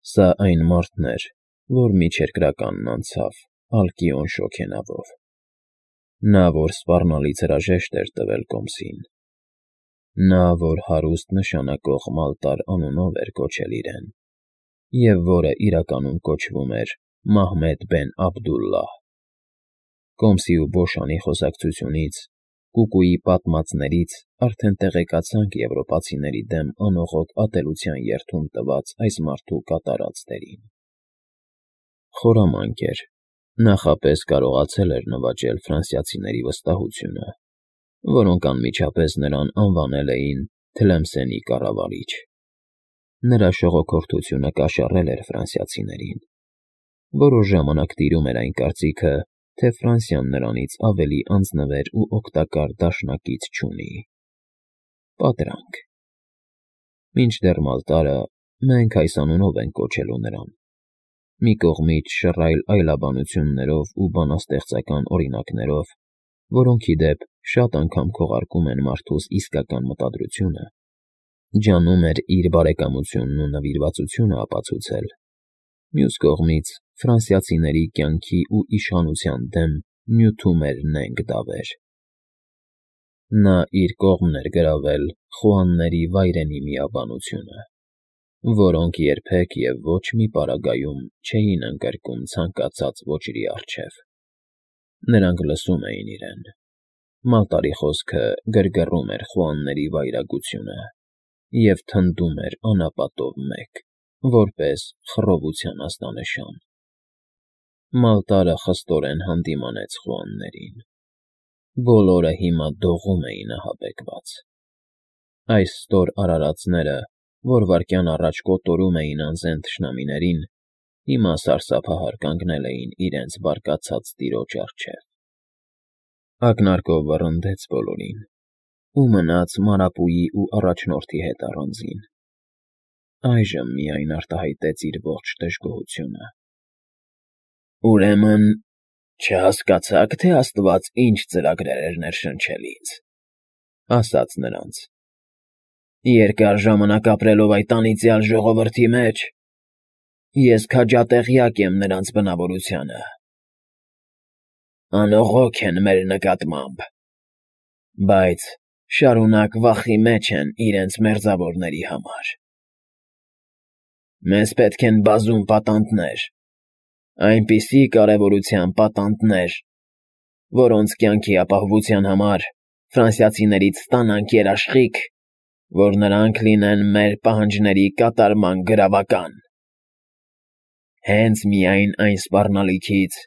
Սա այն մարդն էր, որ միջերկրականն անցավ Ալկիոն շոգենավով, նա, որ սպառնալից հրաժեշտ էր տվել կոմսին, նա, որ հարուստ նշանակող Մալտար անունով էր կոչել իրեն, և որը իրականում կոչվում էր Մահմեդ բեն Աբդուլլահ. Կոմսի ու Բոշանի խոսակցությունից, կուկուի պատմածներից արդեն տեղեկացանք եվրոպացիների դեմ անողոք ատելության երդում տված այս մարդու կատարած դերին։ Խորամանկ էր, նախապես կարողացել էր նվաճել ֆրանսիացիների վստահությունը, որոնք անմիջապես նրան անվանել էին Թլեմսենի կառավարիչ։ Նրա շողոքորթությունը կաշառել էր ֆրանսիացիներին։ Որոշ ժամանակ տիրում էր այն կարծիքը, թե Ֆրանսիան նրանից ավելի անձնվեր ու օգտակար դաշնակից չունի։ Պատրանք։ Մինչդեռ Մալտարը, մենք այս անունով ենք կոչելու նրան, մի կողմից շռայլ այլաբանություններով ու բանաստեղծական օրինակներով, որոնք ի դեպ շատ անգամ քողարկում են մարդուս իսկական մտադրությունը, ջանում էր իր բարեկամությունն ու նվիրվածությունը ապացուցել, մյուս կողմից ֆրանսիացիների կյանքի ու իշխանության դեմ նյութում էր նենգ դավեր։ Նա իր կողմն էր գրավել խոհանների վայրենի միաբանությունը, որոնք երբեք և ոչ մի պարագայում չէին ընկրկում ցանկացած ոճրի առջև։ Նրանք լսում էին իրեն։ Մալտարի խոսքը գրգռում էր խոհանների վայրագությունը և թնդում էր անապատով մեկ, որպես խռովության ազդանշան։ Մալտարը խստորեն հանդիմանեց խոհաններին։ Բոլորը հիմա դողում էին ահաբեկված։ Այս ստոր արարածները, որ վայրկյան առաջ կոտորում էին անզեն թշնամիներին, հիմա սարսափահար կանգնել էին իրենց բարկացած տիրոջ առջև։ Ակնարկով վռնդեց բոլորին ու մնաց Մարապուի ու առաջնորդի հետ առանձին։ Այժմ միայն արտահայտեց իր ողջ դժգոհությունը։ Ուրեմն չհասկացա՞ք, թե աստված ինչ ծրագրեր էր ներշնչել ինձ, ասաց նրանց. երկար ժամանակ ապրելով այդ անիծյալ ժողովրդի մեջ, ես քաջատեղյակ եմ նրանց բնավորությանը։ Անողոք են մեր նկատմամբ, բայց շարունակ վախի մեջ են իրենց մերձավորների համար։ Մեզ պետք են բազում պատանդներ, այնպիսի կարևորության պատանդներ, որոնց կյանքի ապահովության համար ֆրանսիացիներից ստանանք երաշխիք, որ նրանք լինեն մեր պահանջների կատարման գրավական։ Հենց միայն այն սպառնալիքից,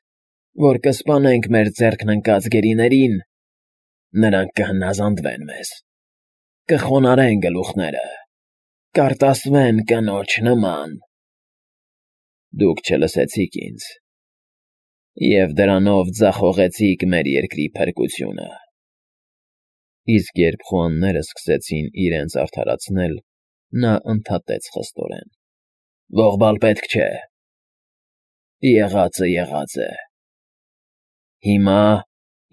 որ կսպանենք մեր ձեռքն ընկած գերիներին, նրանք կհնազանդվեն մեզ, կխոնարհեն գլուխները, կարտասվեն կնոջ նման։ Դուք չլսեցիք ինձ, և դրանով ձախողեցիք մեր երկրի փրկությունը։ Իսկ երբ խոհանները սկսեցին իրենց արդարացնել, նա ընդհատեց խստորեն. Ողբալ պետք չէ։ Եղածը եղած է։ Հիմա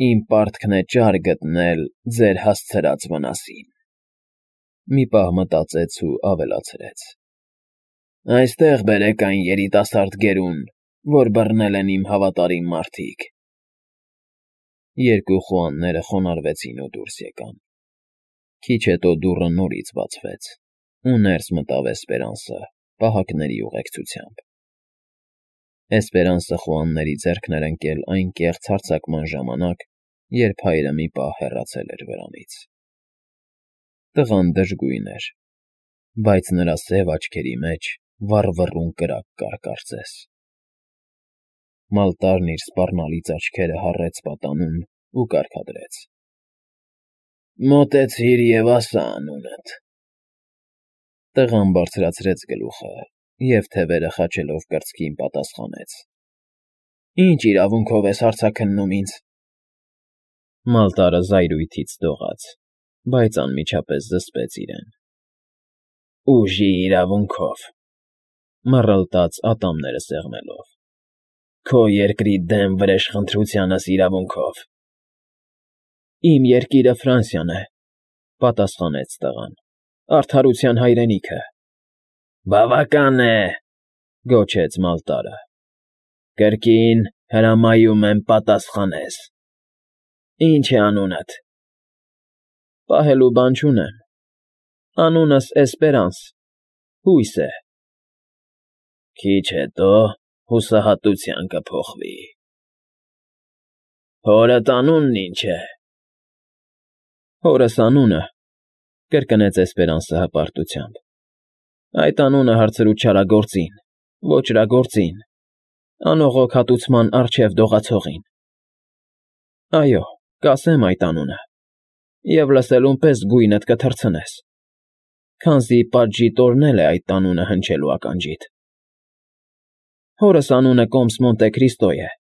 իմ պարտքն է ճար գտնել ձեր հասցրած վնասին։ Մի պահ մտածեց ու ավելացրեց. Այստեղ բերեք այն երիտասարդ գերուն, որ բռնել են իմ հավատարիմ մարդիկ։ Երկու խոհանները խոնարհվեցին ու դուրս եկան։ Քիչ հետո դուռը նորից բացվեց, ու ներս մտավ Էսպերանսը պահակների ուղեկցությամբ։ Էսպերանսը խոհանների ձեռքն էր ընկել այն կեղծ հարձակման ժամանակ, երբ հայրը մի պահ հեռացել էր վրանից։ Տղան դժգույն էր, բայց նրա սև աչքերի մեջ վառվռուն կրակ կար կարծես։ Մալտարն իր սպառնալից աչքերը հառեց պատանուն ու կարգադրեց. Մոտեցիր և ասա անունդ։ Տղան բարձրացրեց գլուխը և թևերը խաչելով կրծքին պատասխանեց. Ինչ իրավունքով ես հարցաքննում ինձ։ Մալտարը զայրույթից դողաց, բայց անմիջապես զսպեց իրեն։ Ուժի իրավունքով, մռլտաց ատամները սեղմելով, քո երկրի դեմ վրեժխնդրությանս իրավունքով։ Իմ երկիրը Ֆրանսիան է, պատասխանեց տղան, արդարության հայրենիքը։ Բավական է, Գոչեց Մալտարը։ Կրկին հրամայում եմ պատասխանես։ Ինչ է անունդ։ Պահելու բան չունեմ։ Անունս Էսպերանս, հույս է։ Քիչ հետո հուսահատության կփոխվի։ Հորդ անունն ինչ է։ Հորս անունը, կրկնեց Էսպերանսը հպարտությամբ։ Այդ անունը հարցրու չարագործին, ոճրագործին, անողոք հատուցման առջև դողացողին։ Այո, կասեմ այդ անունը, և լսելուն պես գույնդ կթռցնես, քանզի պատժի տորնել է այդ անունը հնչելու ականջիդ։ Հորս անունը Կոմս Մոնտե Քրիստո է։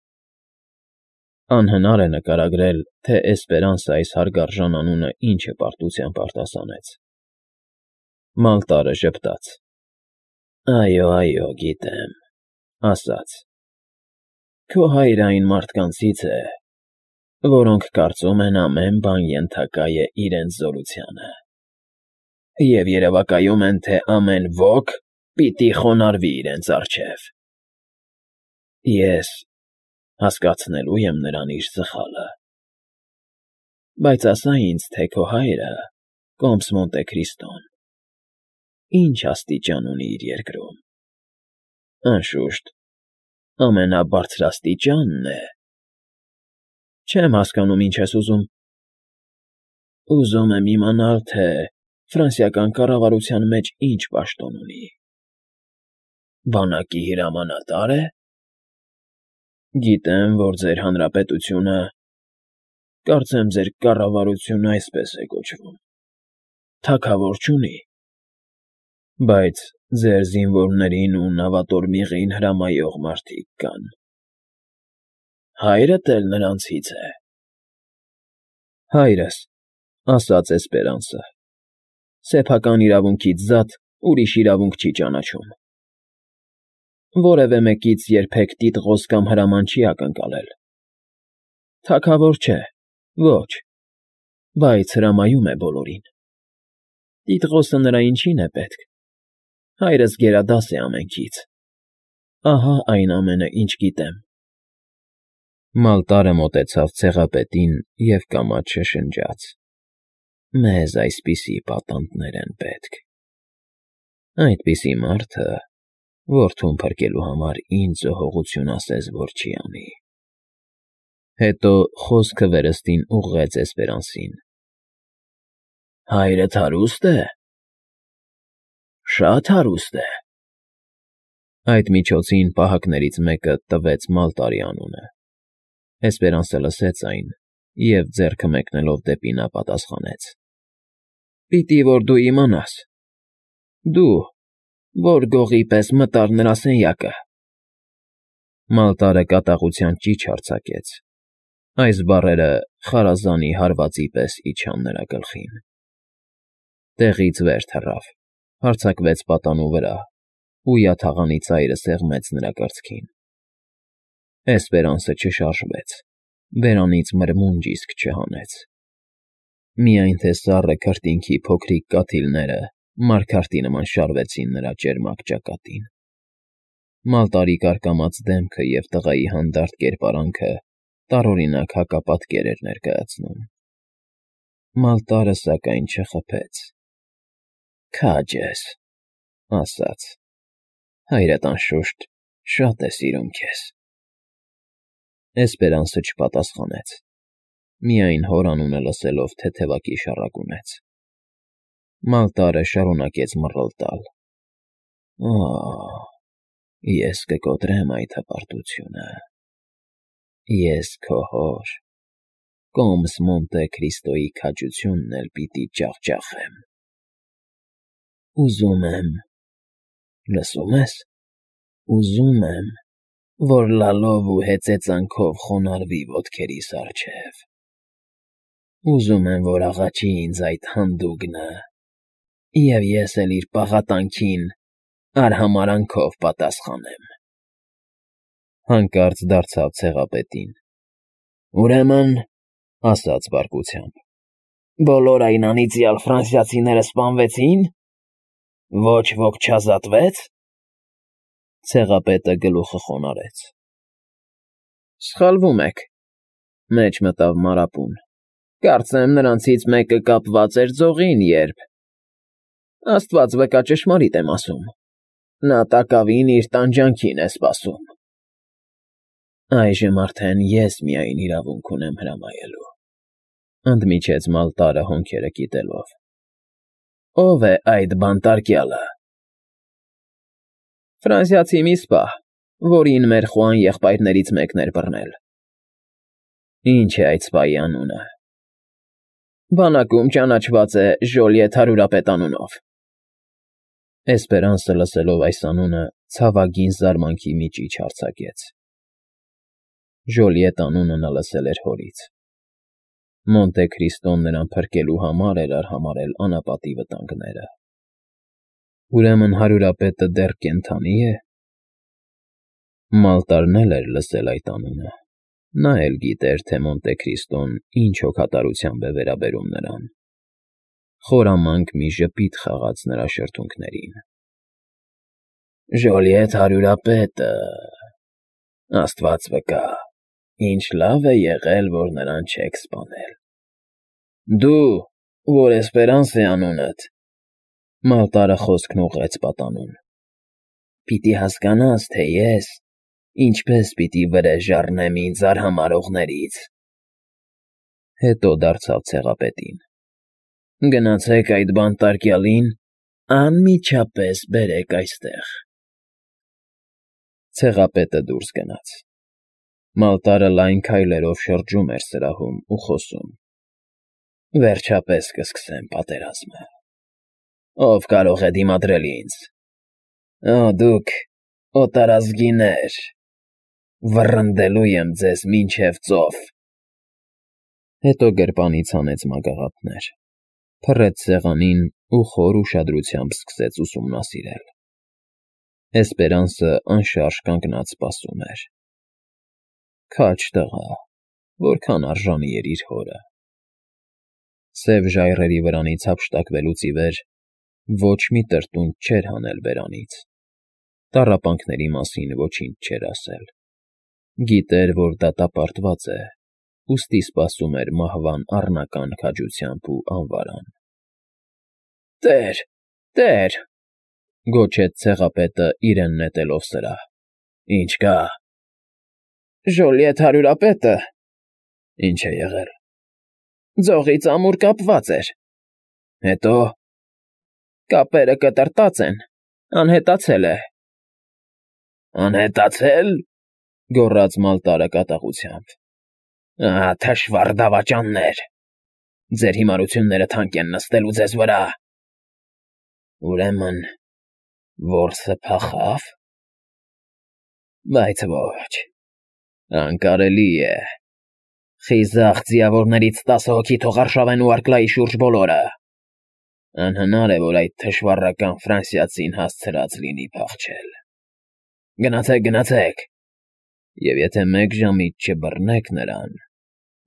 Անհնար է նկարագրել, թե Էսպերանսը այս հարգարժան անունը ինչ հպարտությամբ արտասանեց։ Մալտարը ժպտաց։ Այո, գիտեմ, ասաց։ Քո հայրը այն մարդկանցից է, որոնք կարծում են ամեն բան ենթակա է իրենց զորությանը, և երևակայում են, թե ամեն ոք պիտի խոնարհվի իրենց առջև։ Ես հասկացնելու եմ նրան իր սխալը։ Բայց ասա ինձ, թե քո հայրը, Կոմս Մոնտե Քրիստոն, ինչ աստիճան ունի իր երկրում։ Անշուշտ, ամենաբարձրաստիճանն է։ Չեմ հասկանում, ինչ ես ուզում։ Ուզում եմ իմանալ, թե ֆրանսիական կառավարության մեջ ինչ պաշտոն ունի։ Բանակի հրամանատա՞ր է։ Գիտեմ, որ ձեր հանրապետությունը, կարծեմ ձեր կառավարությունը այսպես է կոչվում, թագավոր չունի, բայց ձեր զինվորներին ու նավատորմիղին հրամայող մարդիկ կան։ Հայրդ էլ նրանցից է։ Հայրս, ասաց Էսպերանսը, սեփական իրավունքից զատ ուրիշ իրավունք չի ճանաչում։ Որևէ մեկից երբեք տիտղոս կամ հրաման չի ակնկալել։ Թագավոր չէ, ոչ, բայց հրամայում է բոլորին։ Տիտղոսը նրա ինչին է պետք։ Հայրս գերադաս է ամենքից։ Ահա այն ամենը, ինչ գիտեմ։ Մալտարը մոտեցավ ցեղապետին և կամաց շշնջաց. Մեզ այսպիսի պատանդներ են պետք։ Այդպիսի մարդը, որդուն փրկելու համար ինձ զոհողություն ասես, որ չի անի։ Հետո խոսքը վերստին ուղղեց Էսպերանսին։ Հայրդ հարուստ է։ Շատ հարուստ է։ Այդ միջոցին պահակներից մեկը տվեց Մալտարի անունը։ Էսպերանսը լսեց այն և ձեռքը մեկնելով դեպի նա պատասխանեց. Պիտի որ դու իմանաս։ Դու, որ գողի պես մտար նրա սենյակը։ Մալտարը կատաղության ճիչ արձակեց։ Այս բառերը խարազանի հարվածի պես իջան նրա գլխին։ Տեղից վեր թռավ, հարձակվեց պատանու վրա ու յաթաղանի ծայրը սեղմեց նրա կրծքին։ Էսպերանսը չշարժվեց, բերանից մրմունջ իսկ չհանեց։ Միայն թե սառը քրտինքի փոքրիկ կաթիլները մարգարտի նման շարվեցին նրա ճերմակ ճակատին։ Մալտարի կարկամած դեմքը և տղայի հանդարտ կերպարանքը տարօրինակ հակապատկեր էր ներկայացնում։ Մալտարը, սակայն, չխփեց։ Քաջ ես, ասաց, հայրդ անշուշտ շատ է սիրում քեզ։ Էսպերանսը չպատասխանեց, միայն հոր անունը լսելով թեթևակի շառակունեց։ Մալտարը շարունակեց մռռլ տալ. Ես կկոտրեմ այդ հպարտությունը։ Ես քո հոր, Կոմս Մոնտե Քրիստոյի քաջությունն էլ պիտի ջախջախեմ։ Ուզում եմ, լսում ես, ուզում եմ, որ լալով ու հեծեծանքով խոնարհվի ոտքերիս առջև։ Ուզում եմ, որ աղաչի ինձ այդ հանդուգնը, և ես էլ իր պաղատանքին արհամարհանքով պատասխանեմ։ Հանկարծ դարձավ ցեղապետին։ Ուրեմն, ասաց բարկությամբ, բոլոր այն անիծյալ ֆրանսիացիները սպանվեցի՞ն։ Ոչ ոք չազատվեց։ Ցեղապետը գլուխը խոնարհեց։ Սխալվում եք, մեջ մտավ Մարապուն։ Կարծեմ նրանցից մեկը կապված էր ձողին, երբ… Աստված վկա, ճշմարիտ եմ ասում, նա տակավին իր տանջանքին է սպասում։ Այժմ արդեն ես միայն իրավունք ունեմ հրամայելու, ընդմիջեց Մալտարը հոնքերը կիտելով։ Ո՞վ է այդ բանտարկյալը։ Ֆրանսիացի մի սպա, որին մեր Խուան եղբայրներից մեկն էր բռնել։ Ինչ է այդ սպայի անունը։ Բանակում ճանաչված է Ժոլիետ հարյուրապետ անունով։ Էսպերանսը լսելով այս անունը ցավագին զարմանքի միջիչ արձակեց։ Ժոլիետ անունը նա լսել էր հորից։ Մոնտե Քրիստոն նրան փրկելու համար էր արհամարհել անապատի վտանգները։ Ուրեմն հարյուրապետը դեռ կենդանի է։ Մալտարն էլ էր լսել այդ անունը։ Նա էլ գիտեր, թե Մոնտե Քրիստոն ինչ հոգատարությամբ է վերաբերում նրան։ Խորամանկ մի ժպիտ խաղաց նրա շրթունքներին։ Ժոլիետ հարյուրապետը… Աստված վկա, ինչ լավ է եղել, որ նրան չեք սպանել։ Դու, որ Էսպերանս է անունդ… Մալտարը խոսքն ուղղեց պատանուն։ Պիտի հասկանաս, թե ես ինչպես պիտի վրեժ առնեմ ինձ արհամարհողներից… Հետո դարձավ ցեղապետին. Գնացեք այդ բանտարկյալին անմիջապես բերեք այստեղ։ Ցեղապետը դուրս գնաց։ Մալտարը լայն քայլերով շրջում էր սրահում ու խոսում. Վերջապես կսկսեմ պատերազմը… Ո՞վ կարող է դիմադրել ինձ… Օ, դուք օտարազգիներ… Վռնդելու եմ ձեզ մինչև ծով… Հետո գրպանից հանեց մագաղափներ, փռեց սեղանին ու խոր ուշադրությամբ սկսեց ուսումնասիրել։ Էսպերանսը անշարժ կանգնած սպասում էր։ Քաջ տղա, որքան արժանի էր իր հորը։ Սև ժայռերի վրանից հափշտակվելուց ի վեր ոչ մի տրտունջ չէր հանել բերանից։ Տառապանքների մասին ոչինչ չէր ասել։ Գիտեր, որ դատապարտված է, ուստի սպասում էր մահվան առնական քաջությամբ ու անվարան։ Տեր… Տեր… Գոչեց ցեղապետը իրեն նետելով սրահ։ Ինչ կա։ Ժոլիետ հարյուրապետը… Ինչ է եղել։ Ձողից ամուր կապված էր։ Հետո… Կապերը կտրտած են, անհետացել է։ Անհետացե՞լ… Գոռաց Մալտարը կատաղությամբ։ Ահա թշվառ դավաճաններ… Ձեր հիմարությունները թանկ են նստելու ձեզ վրա… Ուրեմն որսը փախավ… Բայց ոչ… Անկարելի է… Խիզախ ձիավորներից 10 հոգի թող արշավեն ուԱրկլայի շուրջ բոլորը… Անհնար է, որ այդ թշվառական ֆրանսիացին հասցրած լինի փախչել… Գնացեք, գնացեք… Եվ եթե մեկ ժամից չբռնեք նրան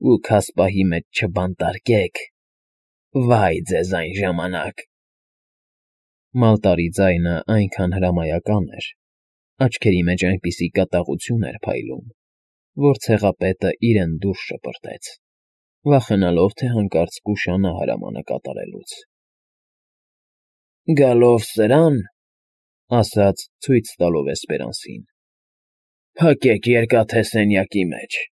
ու քասպահի մեջ չբանտարկեք, վայ ձեզ այն ժամանակ… Մալտարի ձայնը այնքան հրամայական էր, աչքերի մեջ այնպիսի կատաղություն էր փայլում, որ ցեղապետը իրեն դուրս շպրտեց, վախենալով, թե հանկարծ կուշանա հրամանը կատարելուց։ Գալով սրան, ասաց ցույց տալով Էսպերանսին. Փակեք երկաթե սենյակի մեջ։